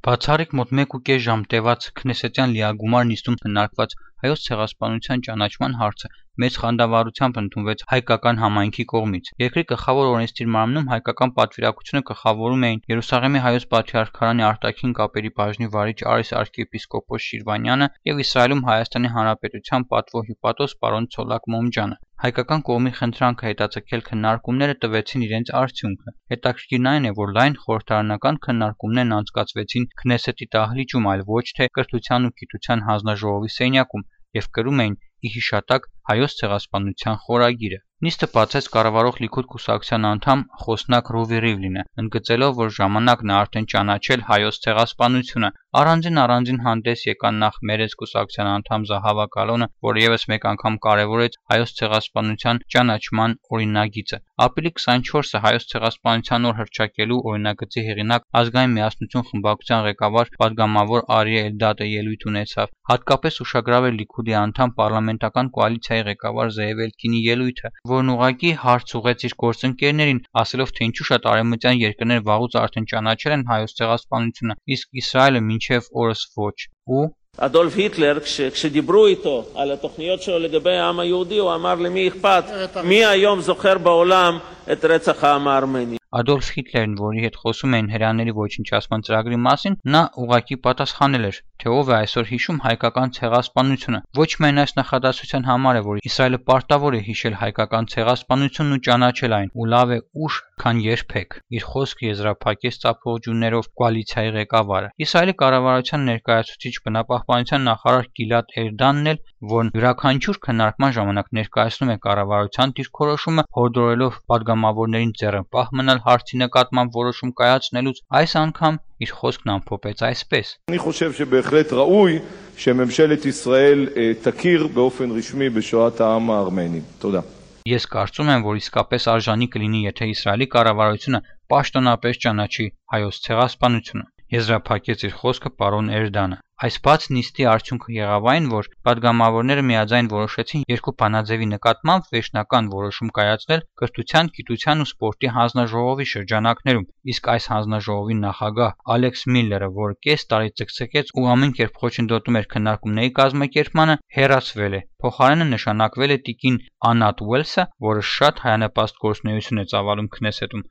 Բացառիկ մոտ 1.5 ժամ տևած քնեսետյան լիագումար նիստում քննարկված հայոց ցեղասպանության ճանաչման հարցը մեծ խանդավառությամբ ընդունվեց հայկական համայնքի կողմից։ Երկրի գլխավոր օրենսդիր մարմնում հայկական պատվիրակությունը գլխավորում էին Երուսաղեմի հայոց պատրիարքարանի արտաքին կապերի բաժնի վարիչ Արիս arczepiskopos Շիրվանյանը եւ Իսրայելում Հայաստանի Հանրապետության պատվո-հյուպատոս պարոն Ցոլակ Մոմջանը։ Հայկական կողմի խնդրանքը հետաձգել քննարկումները տվեցին իրենց արդյունքը։ Հետաքրքիրն այն է, որ լայն խորհրդարանական քննարկումներն անցկացվեցին Քնեսետի դահլիճում, այլ ոչ թե Կրթության ու գիտության հանձնաժողովի սենյակում եւ կրում էին ի հիշատակ հայոց ցեղասպանության խորագիրը։ Նիստը բացեց կառավարող Լիքուդ կուսակցության անդամ Խոսնակ Ռուվի Ռիվլինը, ընդգծելով, որ ժամանակն է արդեն ճանաչել հայոց ցեղասպանությունը։ Առանձին հանդես եկան նախ Մերձ կուսակցության անդամ Զահավա Կալոնը, որը եւս մեկ անգամ կարևորեց հայոց ցեղասպանության ճանաչման օրինագիծը։ Ապրիլի 24-ը հայոց ցեղասպանության օր հռչակելու օրինագծի հեղինակ Ազգային միասնություն խմբակցության ղեկավար պատգամավոր Արիե Էլդադը ելույթ ունեցավ։ Հատկապես ուշագրավ էր Լիքուդի անդամ պարլամենտական կոալիցիայի ղեկավար Զեև Էլկինի ելույթը, որն ուղղակի հարց ուղղեց իր գործընկերներին, ասելով, թե ինչու շատ արևմտյան երկրներ վաղուց արդեն ճանաչել են հայոց ցեղասպանությունը, իսկ Իսրայելը մինչև օրս ոչ։ Ու אדולף היטלר, כשדיברו איתו על התוכניות שלו לגבי העם היהודי, הוא אמר למי אכפת, מי היום זוכר בעולם את רצח העם הארמני. Ադոլֆ Հիտլերն, որի հետ խոսում էին հրեաների ոչնչացման ծրագրի մասին, նա ուղղակի պատասխանել էր, թե ով է այսօր հիշում հայկական ցեղասպանությունը։ Ոչ միայն այս նախադասության համար է, որ Իսրայելը պարտավոր է հիշել հայկական ցեղասպանությունն ու ճանաչել այն, ու լավ է ուշ, քան երբեք։ Իր խոսքը եզրափակեց ծափողջուններով կոալիցիայի ղեկավարը։ Իսրայելի կառավարության ներկայացուցիչ բնապահպանության նախարար Գիլադ Էրդանն էլ, որն յուրաքանչյուր քննարկման ժամանակ ներկայացնում է կառավարության դիրքորոշումը, հորդորելով պատգամավորներին ձեռնպահ մնալ հարցի նկատմամբ որոշում կայացնելուց, այս անգամ իր խոսքն ամփոփեց այսպես. אני חושב שבהחלט ראוי שממשלת ישראל תכיר באופן רשמי בשואת העם הארמני. תודה. Ես կարծում եմ, որ իսկապես արժանի կլինի, եթե Իսրայելի կառավարությունը պաշտոնապես ճանաչի հայոց ցեղասպանությունը, եզրափակեց իր խոսքը պարոն Էրդանը։ Այս բաց նիստի արդյունքը եղավ այն, որ պատգամավորները միաձայն որոշեցին երկու բանաձևի նկատմամբ վերջնական որոշում կայացնել Կրթության, գիտության ու սպորտի հանձնաժողովի շրջանակներում, իսկ այս հանձնաժողովի նախագահ Ալեքս Միլլերը, որը կես տարի ցկցկեց ու ամեն կերպ խոչընդոտում էր քննարկումների կազմակերպմանը, հեռացվել է։ Փոխարենը նշանակվել է տիկին Անատ Ուելսը, որը շատ հայանպաստ գործունեություն է ծավալում Քնեսետում։